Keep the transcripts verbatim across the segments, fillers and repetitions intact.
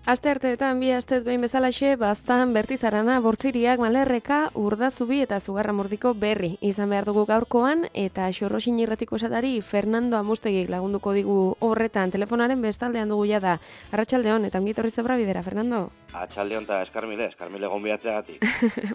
Aste arteetan bi astez behin bezalaxe, Baztan, Bertizarana, Bortziriak, Malerreka, Urdazubi eta Zugarramurdiko berri izan behar dugu gaurkoan, eta Xorroxin irratiko esatari Fernando Amustegik lagunduko digu horretan telefonaren bestaldean dugu jada. Arratsaldeon eta ongi etorri zebra bidera, Fernando. Atxaldeon eta eskarmile, eskarmile gonbiatzeagatik.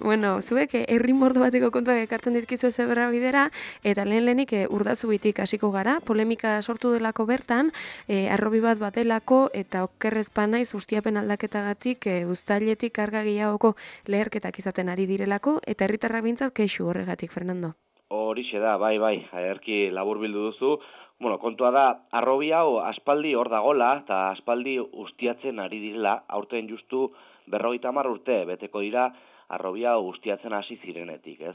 Bueno, zuek herri mordo bateko kontuak ekartzen dizkizu zebra bidera, eta lehen lehenik e, Urdazubitik hasiko gara, polemika sortu delako bertan, e, arrobi bat badelako eta okerrezpanaiz ustiapen aldaketagatik e, uztailetik karga gehiagoko leherketak izaten ari direlako, eta herritarrak bintzat kexu horregatik, Fernando. Horixe da, bai, bai, erki labur bildu duzu. Bueno, kontua da, arrobi hau aspaldi hor dagola, eta aspaldi ustiatzen ari direla, aurten justu berrogeita hamar urte, beteko dira, arrobi hau ustiatzen hasi zirenetik, ez?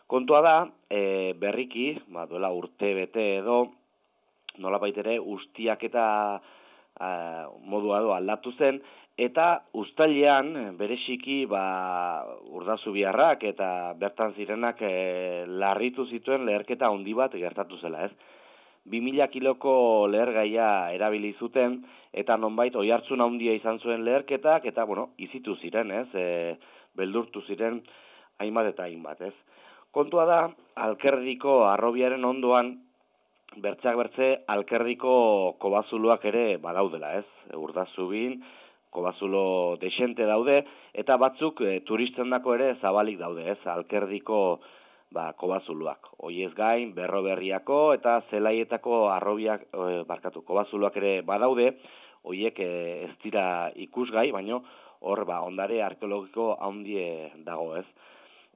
Kontua da, e, berriki, ba, duela urte bete edo, nolabait ere ustiak eta a, modua edo aldatu zen, eta uztailean bereziki ba, Urdazubiarrak eta bertan zirenak e, larritu zituen leherketa handi bat gertatu zela, ez? bi mila kiloko lehergaia erabili zuten, eta nonbait oihartzun handia izan zuen leherketak, eta, bueno, izitu ziren, ez? E, beldurtu ziren hainbat eta hainbat, ez? Kontua da, Alkerdiko arrobiaren ondoan, bertzeak bertze, Alkerdiko kobazuluak ere badaudela, ez? Urdazubin, kobazulo desente daude, eta batzuk e, turistendako ere zabalik daude, ez? Alkerdiko ba, kobazuluak. Hoiez gain, Berroberriako eta Zelaietako arrobiak, e, barkatu, kobazuluak ere badaude, hoiek e, ez dira ikusgai, baino hor ba, ondare arkeologiko handie dago, ez?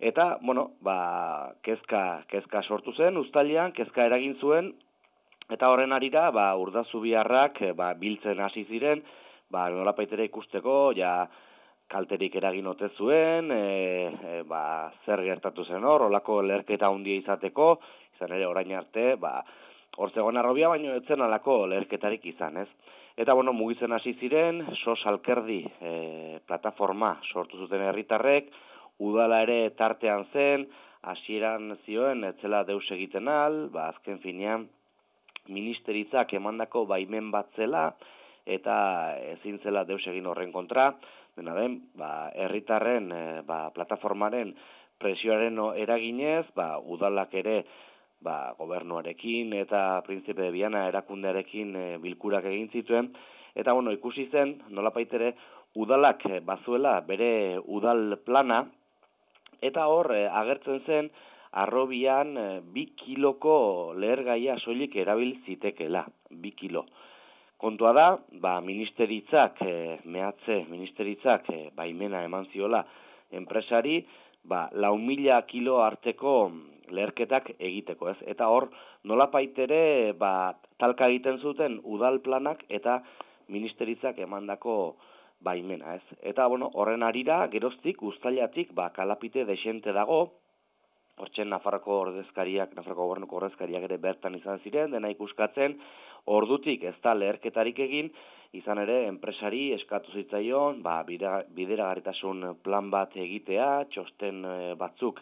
Eta, bueno, ba, kezka, kezka sortu zen, uztailean, kezka eragin zuen, eta horren arira, ba, Urdazubiarrak ba, biltzen hasi ziren, ba, nolapait ere ikusteko, ja, kalterik eragin ote zuen, e, e, ba, zer gertatu zen hor, olako leherketa handia izateko, izan ere orain arte, ba, hor zegoen arrobia, baino etzen alako leherketarik izan, ez? Eta, bueno, mugitzen hasi ziren, sos alkerdi e, plataforma sortu zuten herritarrek, udala ere tartean zen, hasieran zioen, etzela deus egiten al, ba, azken finean, ministeritzak emandako baimen bat zela, eta ezin zela deus egin horren kontra, dena den, ba, herritarren, e, ba, plataformaren presioaren eraginez, ba, udalak ere, ba, gobernuarekin eta Prinzipe de Viana erakundearekin e, bilkurak egin zituen, eta, bueno, ikusi zen, nolapait ere, udalak e, bazuela bere udal plana, eta hor, e, agertzen zen, arrobian e, bi kiloko lehergaia soilik erabil zitekela, bi kilo. Kontua da, ba, ministeritzak, e, mehatze ministeritzak e, baimena eman ziola enpresari, ba, lau mila kilo arteko leherketak egiteko, ez? Eta hor, nolapait ere, ba, talka egiten zuten udal planak eta ministeritzak emandako baimena, ez? Eta, bueno, horren arira, geroztik, uztailatik, ba, kalapite desente dago, hortzen Nafarroko ordezkariak, Nafarroko gobernuko ordezkariak ere bertan izan ziren, dena ikuskatzen, ordutik ez da leherketarik egin, izan ere enpresari eskatu zitzaion, ba, bideragarritasun plan bat egitea, txosten batzuk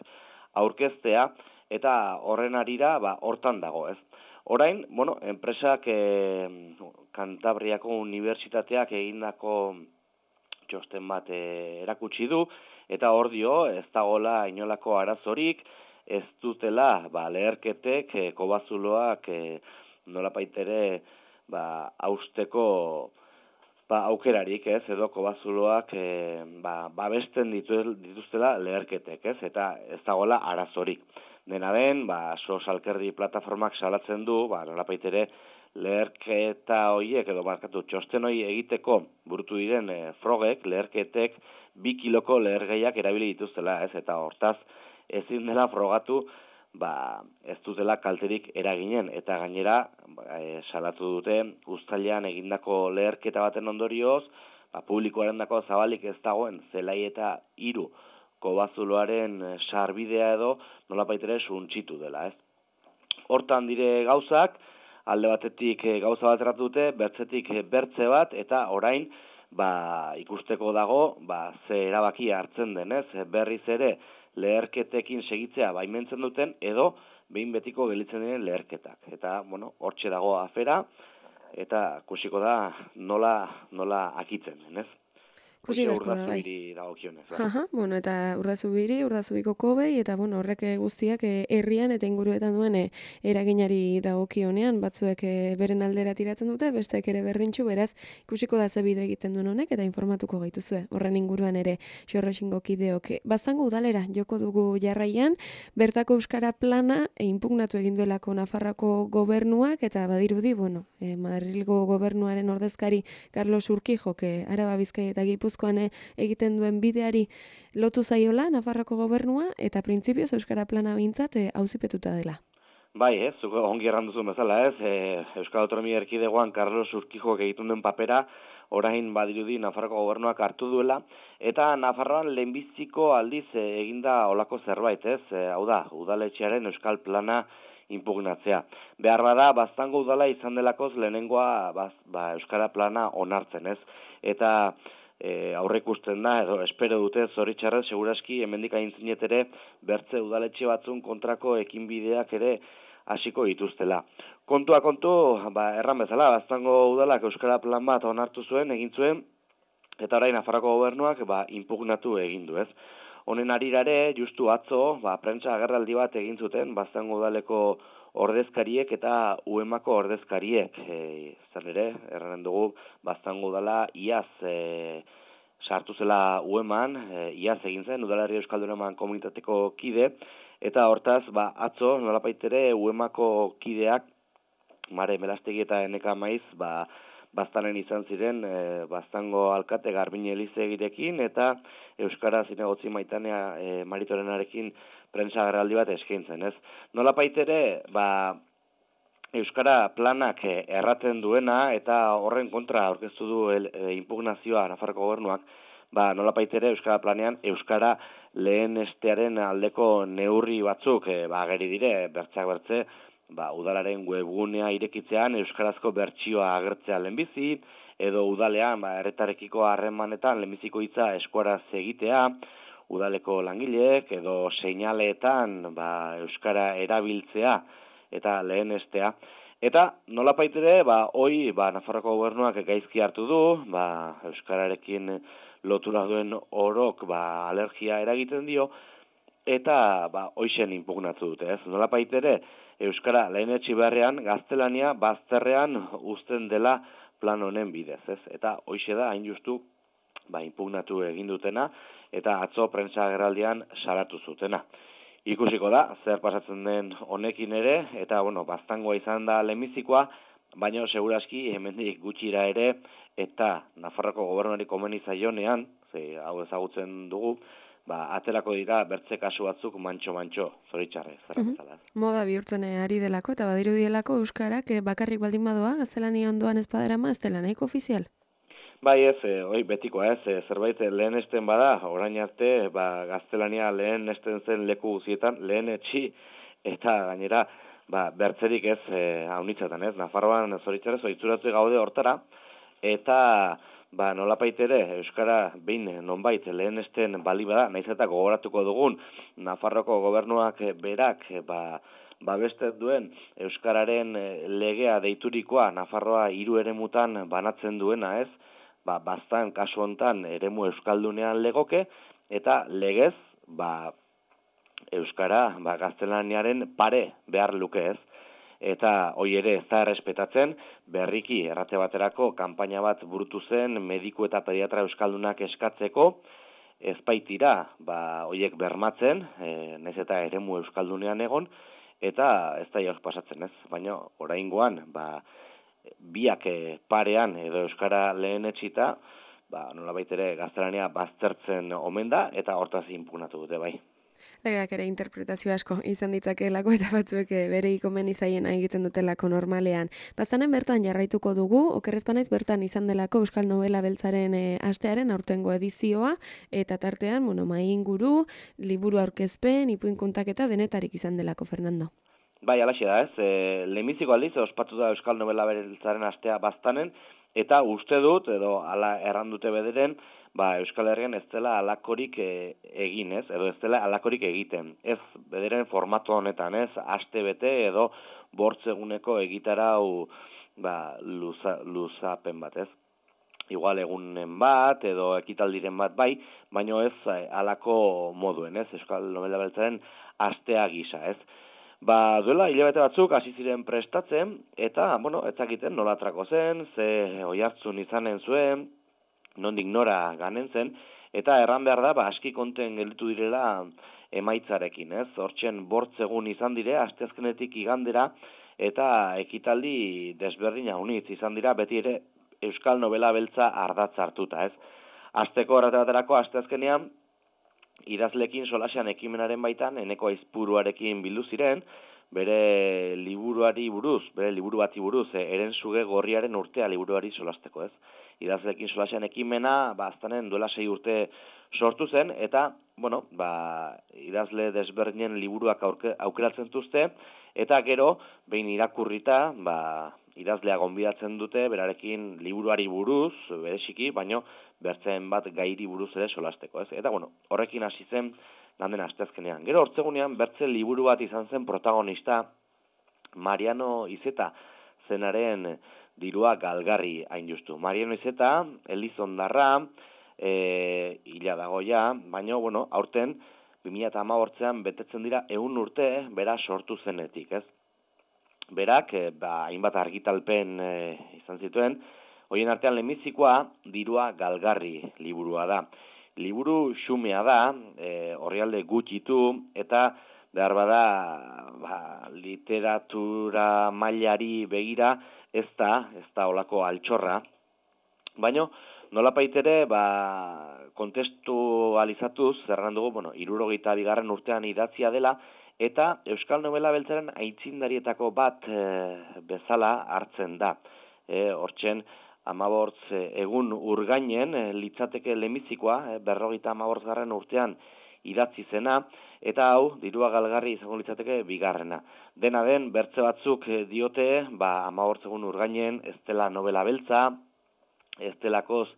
aurkeztea, eta horren arira, ba, hortan dago, ez. Orain, bueno, enpresak e, Kantabriako Unibertsitateak egindako txosten bat e, erakutsi du, eta hor dio, ez dagoela inolako arazorik, ez dutela ba, leherketek, e, kobazuloak e, nolapait ere ba, hausteko ba, aukerarik, ez, edo kobazuloak e, ba, babesten dituztela leherketek, ez, eta ez dagoela arazorik. Dena den, ba, sos alkerdi plataformak salatzen du, ba, nolapait ere leherketa horiek, edo markatu txosten hori egiteko burutu diren e, frogek, leherketek, bi kiloko lehergaiak erabili dituztela, ez, eta hortaz ezin dela frogatu, ba, ez dutela kalterik eraginen, eta gainera, ba, e, salatu dute, uztailean egindako leherketa baten ondorioz, ba, publikoaren dako zabalik ez dagoen, zelai eta hiru kobazuloaren sarbidea edo, nolapait ere suntxitu dela, ez. Hortan dire gauzak, alde batetik gauza bat erratu dute, bertzetik bertze bat, eta orain, ba, ikusteko dago, ba, ze erabaki hartzen denez, berriz ere leherketekin segitzea baimentzen duten, edo behin betiko gelitzen diren leherketak. Eta, bueno, hortxe dago afera, eta kusiko da nola, nola akitzen, denez. Ikusi beharko da, bai. Urdazubiri dagokionez. Bai. Aha, bueno, eta Urdazubiri, Urdazubiko kobei, eta bueno, horrek guztiak eh, herrian eta inguruetan duen eh, eraginari dagokionean, batzuek eh, beren aldera tiratzen dute, besteek ere berdintxu, beraz, ikusiko da ze bide egiten duen honek, eta informatuko gaituzue. Horren inguruan ere, xorroxingo kideok. Baztango udalera, joko dugu jarraian, bertako euskara plana e, inpugnatu egin duelako Nafarrako gobernuak, eta badirudi, bueno, eh, Madrilgo gobernuaren ordezkari Carlos Urquijok, eh, Araba Bizkaia eta Gipuzkoan eh, egiten duen bideari lotu zaiola Nafarroko gobernua eta printzipioz euskara plana behintzat eh, auzipetuta dela. Bai, ez, zuko ongi erranduzu bezala, ez, e, Euskal Autonomia Erkidegoan Carlos Urquijok egiten duen papera orain badirudi Nafarroko gobernuak hartu duela, eta Nafarroan lehenbiziko aldiz e, eginda olako zerbait, ez, e, hau da, udaletxearen euskal plana impugnatzea. Behar bada, Baztango udala izan delakoz lehenengoa baz, ba, euskara plana onartzen, ez, eta E, aurreikusten da, edo espero dute zoritxarrez, seguraski hemendik aintzinet ere bertze udaletxe batzun kontrako ekinbideak ere hasiko dituztela. Kontua kontu, ba, erran bezala, Baztango udalak euskara plan bat onartu zuen, egin zuen, eta orain Nafarroko gobernuak ba, impugnatu egin du, ez. Honen arirare, justu atzo, ba, prentsa agerraldi bat egin zuten, Baztango udaleko ordezkariek eta U E M ako ordezkariek. E, zer ere, erranen dugu, Baztango udala iaz e, sartu zela U E M-an, e, iaz egin zen, Udalerri Euskalduneman komunitateko kide, eta hortaz, ba, atzo, nolapaitere, U E M ako kideak, Mare Melastegi eta Eneka Maiz, ba, Baztanen izan ziren, e, Baztango alkate Garbin Elizegirekin, eta Euskara Zinegotzi Maitanea e, Maritorenarekin prentsa agerraldi bat eskaintzen, ez? Nolapait ere, ba, euskara planak erraten duena eta horren kontra aurkeztu du el, e, impugnazioa Nafarroko gobernuak, ba, nolapait ere euskara planean euskara lehenestearen aldeko neurri batzuk e, ba, ageri dire, bertzeak bertze, ba, udalaren webgunea irekitzean euskarazko bertsioa agertzea lehenbizi, edo udalean ba, erretarekiko harremanetan lehenbiziko hitza eskuaraz egitea, udaleko langileek edo seinaleetan ba, euskara erabiltzea eta lehenestea. Eta nolapait ere, ba, hoi ba, Nafarroko gobernuak gaizki hartu du, ba, euskararekin lotura duen orok ba, alergia eragiten dio, eta ba, hoixen inpugnatu dute, ez? Nolapait ere, euskara lehenetsi beharrean, gaztelania bazterrean uzten dela plan honen bidez, ez? Eta hoixe da, hain justu, ba, inpugnatu egin dutena, eta atzo prentsa agerraldian salatu zutena. Ikusiko da, zer pasatzen den honekin ere, eta, bueno, Baztangoa izan da lehenbizikoa, baina seguraski hemendik gutxira ere, eta Nafarroko gobernuari komeni zaionean, ze hau ezagutzen dugu, ba, aterako dira bertze kasu batzuk mantxo-mantxo, zoritxarrez, zerra bezala. Moda bihurtzen ari delako, eta badiru dielako euskarak bakarrik baldin badoa, gaztelania ondoan espaderama, ez dela nahiko ofizial? Bai ez, e, oi, betikoa ez, e, zerbait lehen esten bada, orain arte, ba, gaztelania lehen esten zen leku guzietan, lehen etxi, eta gainera, ba, bertzerik ez, e, haunitzatan ez, Nafarroan zoritzarez, oitzuratu gaude hortara, eta, ba, nolapait ere, euskara behin nonbait lehen esten bali bada, naiz eta gogoratuko dugun, Nafarroko gobernuak berak, ba, babestet duen euskararen legea deiturikoa, Nafarroa hiru eremutan banatzen duena ez, ba, Baztan kasu hontan eremu euskaldunean legoke, eta legez, ba, euskara ba, gaztelaniaren pare behar luke ez. Eta hoi ere ez da errespetatzen, berriki errate baterako kanpaina bat burutu zen mediku eta pediatra euskaldunak eskatzeko, ez baitira, ba, hoiek bermatzen, e, naiz eta eremu euskaldunean egon, eta ez da jauz pasatzen ez, baina oraingoan, ba, biak parean edo euskara lehen etxita, ba, nolabait ere gaztelania baztertzen omen da, eta hortaz inpugnatu dute bai. Legeak ere interpretazio asko izan ditzakeelako eta batzuek bere ikomen izaiena egiten dutelako normalean. Baztanen bertan jarraituko dugu, okerrezpanaiz bertan izan delako Euskal Novela Beltzaren e, astearen aurtengo edizioa, eta tartean, bueno, mai inguru, liburu aurkezpen, ipuin kontaketa denetarik izan delako, Fernando. Bai, alaxe da ez, e, lehenbiziko aldiz, ospatu da Euskal Novela Beltzaren astea Baztanen, eta uste dut, edo ala errandute bederen, ba, Euskal Herrian ez dela alakorik e, egin, ez, edo ez dela alakorik egiten. Ez, bederen formatu honetan, ez, aste bete edo bortzeguneko egitarau ba, luza, luzapen bat, ez. igual egunen bat edo ekitaldiren bat bai, baino ez eh, halako moduen, ez? Euskal Novela Beltzaren astea gisa, ez? Ba, duela hilabete batzuk hasi ziren prestatzen eta, bueno, ez zakiten nola atrako zen, ze oihartzun izanen zuen, nondik nora ganen zen, eta erran behar da, ba, aski konten gelditu direla emaitzarekin, ez? Hortzen bortz egun izan dire, asteazkenetik igandera, eta ekitaldi desberdina unitz izan dira, beti ere Euskal Novela Beltza ardatz hartuta, ez? Asteko horretarako asteazkenean, idazlekin solasean ekimenaren baitan, eneko aizpuruarekin bildu ziren, bere liburuari buruz, bere liburu bati buruz, e, eren zuge gorriaren urtea liburuari solasteko, ez? Idazlekin solasean ekimena, ba, aztanen duela sei urte sortu zen, eta, bueno, ba, idazle desberdinen liburuak aurke, aukeratzen duzte, eta gero, behin irakurrita, ba, idazlea gonbidatzen dute, berarekin liburuari buruz, bereziki, baino, bertzen bat gairi buruz ere solasteko, ez? Eta, bueno, horrekin hasi zen, landen asteazkenean. Gero, hortzegunean, bertze liburu bat izan zen protagonista, Mariano Izeta zenaren dirua galgarri hain justu. Mariano Izeta, Elizondarra, e, hila dagoia, baina, bueno, aurten, bi mila hamabostean betetzen dira ehun urte, bera sortu zenetik, ez? Berak, e, ba, hainbat argitalpen e, izan zituen, horien artean lehenbizikoa dirua galgarri liburua da. Liburu xumea da, e, orrialde gutxitu, eta behar bada ba, literatura mailari begira ez da, ez da olako altxorra. Baina, nolapait ere, ba, kontestualizatuz, zerran dugu, bueno, hirurogeita bigarren urtean idatzia dela, eta Euskal Novela Beltzaren aitzindarietako bat e, bezala hartzen da. E, hortzen, amabortz egun urgainen, e, litzateke lemizikoa, e, berrogeita amabortz garren urtean idatzi zena, eta hau, dirua galgarri izango litzateke bigarrena. Dena den, bertze batzuk diote, ba, amabortz egun urgainen, ez dela novela beltza, ez delakoz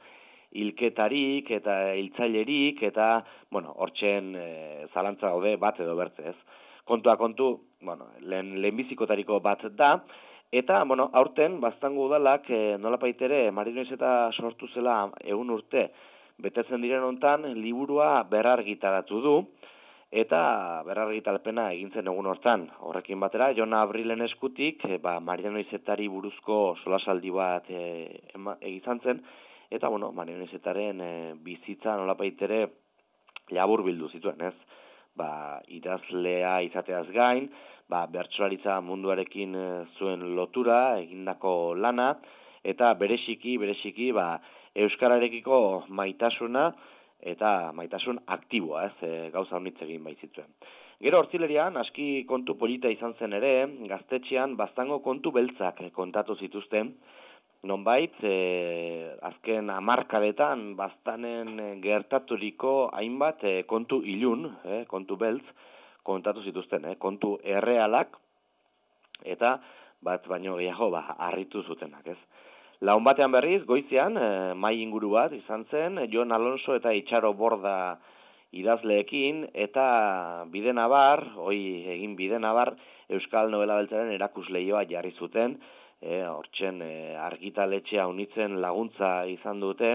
hilketarik eta hiltzailerik, eta, bueno, hortzen e, zalantza gaude bat edo bertze ez. Kontua kontu, bueno, lehen, lehenbizikotariko bat da, eta, bueno, aurten, baztango udalak, e, nolapait ere, Mariano Izeta sortu zela egun urte, betetzen diren hontan, liburua berrargitaratu du, eta berrargitalpena egintzen egun hortan. Horrekin batera, Jon Abrilen eskutik, e, ba, Mariano Izetari buruzko solasaldi bat e, egizan zen, eta, bueno, Mariano Izetaren e, bizitza nolapait ere labur bildu zituen, ez? Ba, idazlea izateaz gain, ba, bertsolaritza munduarekin zuen lotura, egindako lana, eta bereziki, bereziki, ba, euskararekiko maitasuna, eta maitasun aktiboa, ez, e, gauza honitz egin baitzituen. Gero hortzilerian, aski kontu polita izan zen ere, gaztetxean, baztango kontu beltzak kontatu zituzten, nonbait, e, azken hamarkadetan baztanen gertaturiko hainbat e, kontu ilun, e, kontu beltz, kontatu zituzten, e, kontu errealak, eta bat baino gehiago ba, harritu zutenak, ez. Laun batean berriz, goizean, e, mai inguru bat izan zen, Jon Alonso eta Itxaro Borda idazleekin, eta bide nabar, hoi egin bide nabar, Euskal Novela Beltzaren erakusleioa jarri zuten, E, hortzen e, argitaletxea unitzen laguntza izan dute,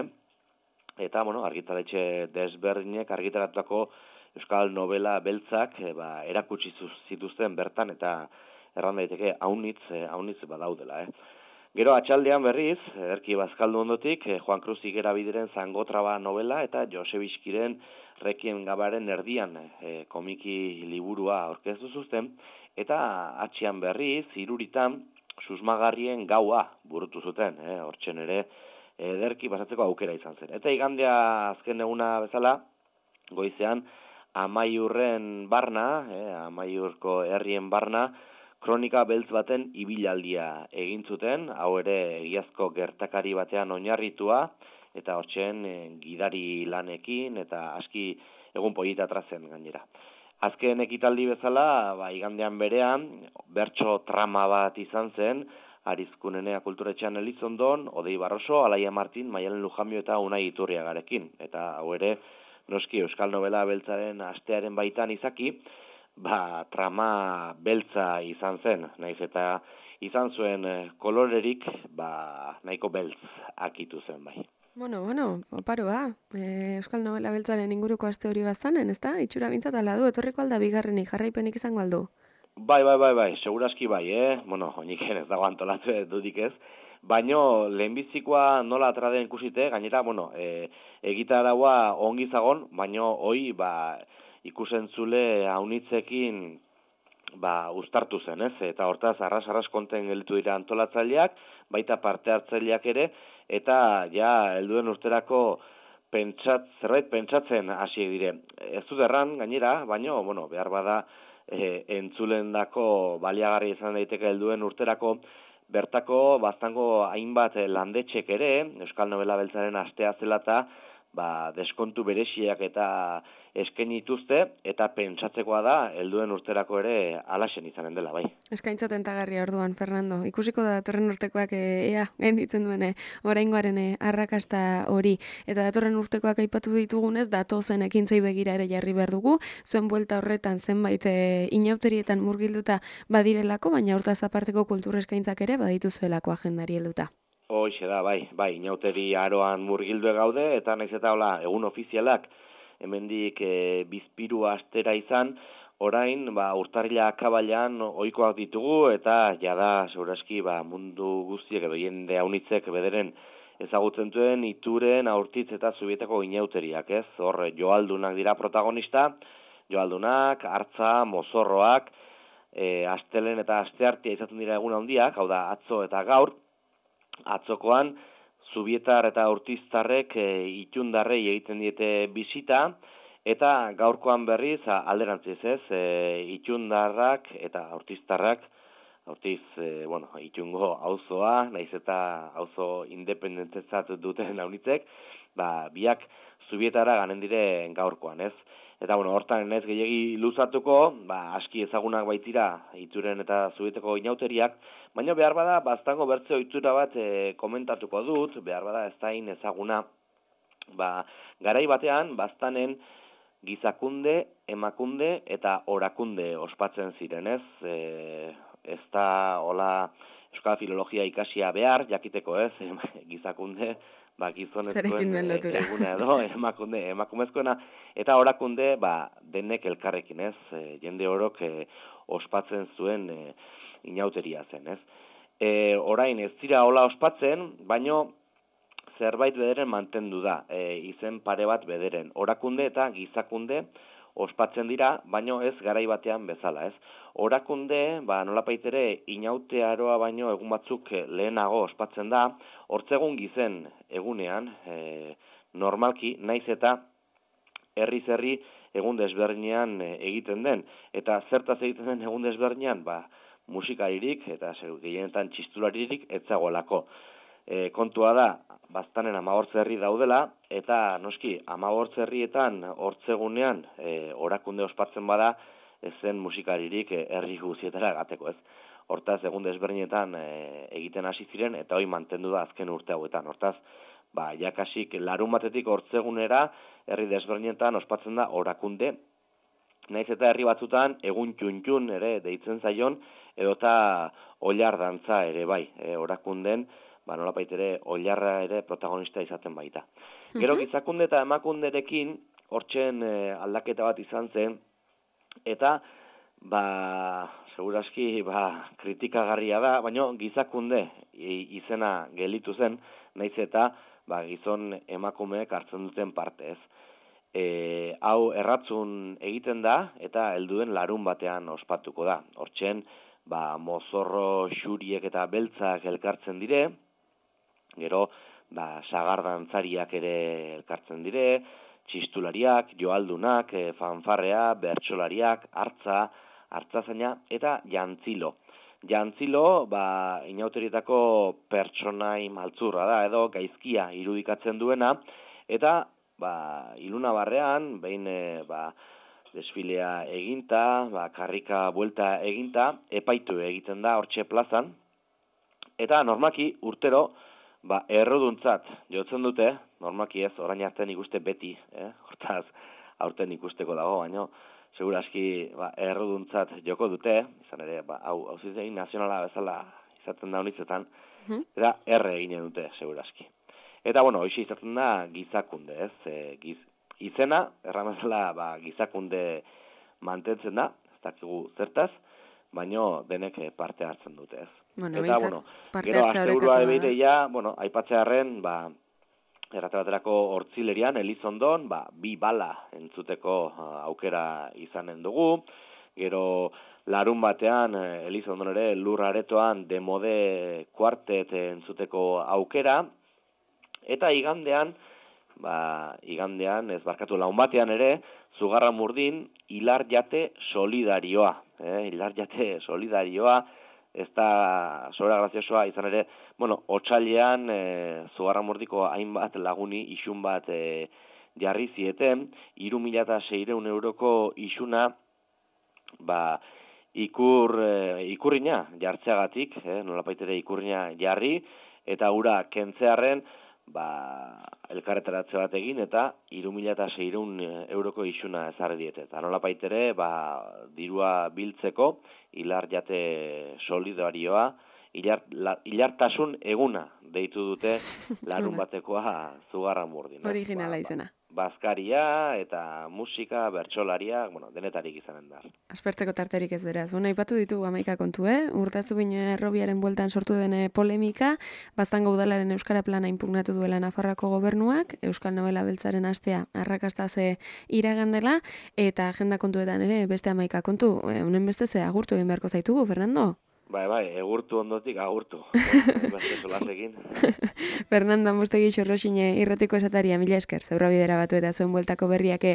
eta, bueno, argitaletxe desberdinek argitaratutako Euskal Novela Beltzak e, ba, erakutsi zituzten bertan, eta erran daiteke haunitz, e, haunitz badaudela, eh. Gero atxaldean berriz, Erki Bazkaldu ondotik, e, Juan Cruz Higuera Bideren Zangotraba novela, eta Josep Iskiren Rekien Gabaren erdian e, komiki liburua aurkeztu zuzten, eta atxian berriz, iruritan, susmagarrien gaua burutu zuten, eh, hortzen ere ederki pasatzeko aukera izan zen. Eta igandea azken eguna bezala, goizean, Amaiurren barna, eh, Amaiurko herrien barna, kronika beltz baten ibilaldia egin zuten, hau ere egiazko gertakari batean oinarritua, eta hortzen eh, gidari lanekin, eta aski egun polita trazen gainera. Azken ekitaldi bezala, ba, igandean berean, bertso trama bat izan zen, Arizkunenea Kulturetxean Elizondon, Odei Barroso, Alaia Martin, Maialen Lujambio eta Unai Iturriagarekin. Eta hau ere, noski Euskal Novela Beltzaren astearen baitan izaki, ba, trama beltza izan zen, naiz eta izan zuen kolorerik, ba, nahiko beltz akitu zen bai. Bueno, bueno, oparoa. E, Euskal Novela Beltzaren inguruko aste hori bazanen, ezta? Itxura bintzat ala du, etorriko alda bigarrenik, jarraipenik izango aldu. Bai, bai, bai, bai, segurazki bai, eh? Bueno, onik ez dago antolatu dudik ez. Baino, lehenbizikoa nola atraden ikusite, gainera, bueno, e, egitaraua ongi zagon, baino, hoi, ba, ikusentzule haunitzekin, ba, uztartu zen, ez? Eta hortaz, arras-arras konten gelditu dira antolatzaileak, baita parte hartzaileak ere, eta ja, helduen urterako pentsat, zerbait pentsatzen hasi dire. Ez dut erran, gainera, baino, bueno, behar bada, e, entzulendako baliagarri izan daiteke helduen urterako, bertako baztango hainbat landetxek ere, Euskal Novela Beltzaren astea zela eta, ba, deskontu bereziak eta eskaini dituzte, eta pentsatzekoa da, helduen urterako ere alaxen izanen dela, bai. Eskaintza tentagarria orduan, Fernando. Ikusiko da datorren urtekoak e, ea, gainditzen duene, oraingoaren e, arrakasta hori. Eta datorren urtekoak aipatu ditugunez, datozen ekintzei begira ere jarri behar dugu, zuen buelta horretan zenbait e, inauterietan murgilduta badirelako, baina hortaz aparteko kultur eskaintzak ere badituzuelako agendari helduta. Hoxe da, bai, bai, inauteri aroan murgildu gaude, eta naiz eta hola, egun ofizialak, hemendik e, bizpiru astera izan, orain, ba, urtarrila akabailan ohikoak ditugu, eta jada, segurazki, ba, mundu guztiek edo jende haunitzek bederen ezagutzen duen ituren, aurtitz eta zubietako inauteriak, ez? Hor, joaldunak dira protagonista, joaldunak, hartza, mozorroak, e, astelen eta asteartea izaten dira egun handiak, hau da, atzo eta gaur, atzokoan, Zubietar eta Urtiztarrek e, itundarrei egiten diete bisita, eta gaurkoan berriz alderantziz ez, e, itundarrak eta Urtiztarrak, Urtiz, e, bueno, itungo auzoa, naiz eta auzo independentzat duten haunitzek, ba, biak Zubietara ganen dire gaurkoan ez. Eta, bueno, hortan ez gehiagi luzatuko, ba, aski ezagunak baitira ituren eta Zubieteko inauteriak, baina behar bada, baztango bertze ohitura bat e, komentatuko dut, behar bada ez da ezaguna, ba, garai batean, baztanen gizakunde, emakunde eta orakunde ospatzen ziren, ez? E, ez da, hola, euskal filologia ikasia behar, jakiteko, ez? Gizakunde, ba, gizonezkoen eguna edo, emakunde, emakumezkoena, eta orakunde, ba, denek elkarrekin, ez? E, jende orok e, ospatzen zuen e, inauteria zen, ez? E, orain ez dira hola ospatzen, baino zerbait bederen mantendu da, e, izen pare bat bederen. Orakunde eta gizakunde ospatzen dira, baino ez garai batean bezala, ez? Orakunde, ba, nolapaitere inautearoa baino egun batzuk lehenago ospatzen da, hortzegun gizen egunean, e, normalki, naiz eta herriz herri egun desberdinean egiten den. Eta zertaz egiten den egun desberdinean, ba, musikaririk eta gehienetan txistularirik etzagoelako. E, kontua da, baztanen amagortze herri daudela, eta noski, amagortze herrietan hortzegunean e, orakunde ospatzen bada, ezen musikaririk herri guzietara gateko ez. Hortaz, egun desberdinetan e, egiten hasi ziren, eta hori mantendu da azken urte hauetan. Hortaz, ba, jakasik larun batetik hortzegunera, herri desberdinetan ospatzen da orakunde, naiz eta herri batzutan egun txuntxun ere deitzen zaion, edota oilar dantza ere bai, e, orakunden, ba, nolapait ere oilarra ere protagonista izaten baita. Gero gizakunde eta emakunderekin hortzen e, aldaketa bat izan zen, eta ba, segurazki ba, kritikagarria da, baina gizakunde izena gelitu zen, naiz eta ba, gizon emakumeek hartzen duten parte ez. E, hau erratzun egiten da eta helduen larun batean ospatuko da. Hortzen, ba, mozorro xuriek eta beltzak elkartzen dire, gero, ba, sagardantzariak ere elkartzen dire, txistulariak, joaldunak, e, fanfarrea, bertsolariak, hartza, hartzazaina eta jantzilo. Jantzilo, ba, inauterietako pertsonai maltzurra da, edo gaizkia irudikatzen duena, eta ba, iluna barrean, behin e, ba, desfilea eginta, ba, karrika buelta eginta, epaitu egiten da hortxe plazan, eta normaki urtero, ba, erroduntzat jotzen dute, normaki ez, orain artean ikuste beti, eh? Hortaz, aurten ikusteko dago, baino, segurazki ba, erroduntzat joko dute, izan ere, ba, hau, hau zizegin nazionala bezala izaten da honitzetan, eta erre eginen dute, segurazki. Eta, bueno, hoxe izaten da gizakunde, ez? E, giz, izena, erramezala, ba, gizakunde mantentzen da, ez dakigu zertaz, baino denek parte hartzen dute, ez? Bueno, eta, bueno, gero, asteburua ebeidea, bueno, aipatzearen, ba, erratebaterako hortzilerian, Elizondon, ba, bi bala entzuteko aukera izanen dugu, gero, larun batean, Elizondon ere, lur aretoan, demode kuartet entzuteko aukera, eta igandean, ba, igandean, ez barkatu laun batean ere, Zugarramurdin, hilar jate solidarioa, eh, hilar jate solidarioa, ez da sobera graziosoa izan ere, bueno, otsailean e, Zugarramurdiko hainbat laguni isun bat e, jarri zieten, hiru mila seiehun euroko isuna, ba, ikur, e, ikurrina jartzeagatik, eh, nolapaitere ikurrina jarri, eta ura kentzearren, ba, elkarretaratze bat egin, eta hiru mila seiehun euroko isuna ezarri diete. Eta nolapaitere, ba, dirua biltzeko, hilar jate solidarioa, hilar, la, hilartasun eguna deitu dute larun batekoa Zugarramurdin. Originala ba, izena. Bazkaria eta musika, bertsolaria, bueno, denetarik izanen da. Aspertzeko tarterik ez beraz. Bueno, aipatu ditugu hamaika kontu, eh? Urtazubin errobiaren bueltan sortu den polemika, Baztango udalaren euskara plana inpugnatu duela Nafarroako gobernuak, Euskal Nobela Beltzaren astea arrakastaze iragandela, eta agenda kontuetan ere beste hamaika kontu. Honen beste ze agurtu egin beharko zaitugu, Fernando? Bai, bai, egurtu ondotik agurtu. Fernando Amustegi Xorroxine irratiko esataria, mila esker, Zebrabidera batu eta zuen bueltako berriak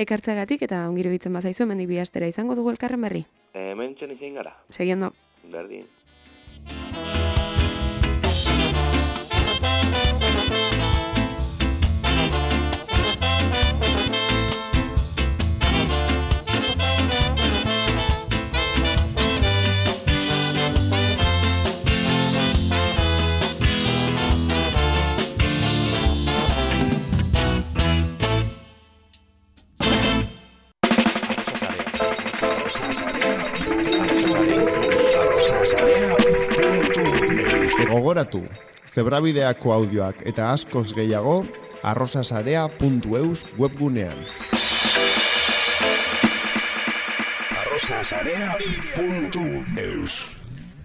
ekartzagatik, eta ongiru ditzen bazaizu, hemendik bi astera izango dugu elkarren berri. Hemen txen izin gara. Seguiendo. Berdin. Gogoratu, Zebrabideako audioak eta askoz gehiago arrosasarea puntu eus webgunean. arrosasarea puntu eus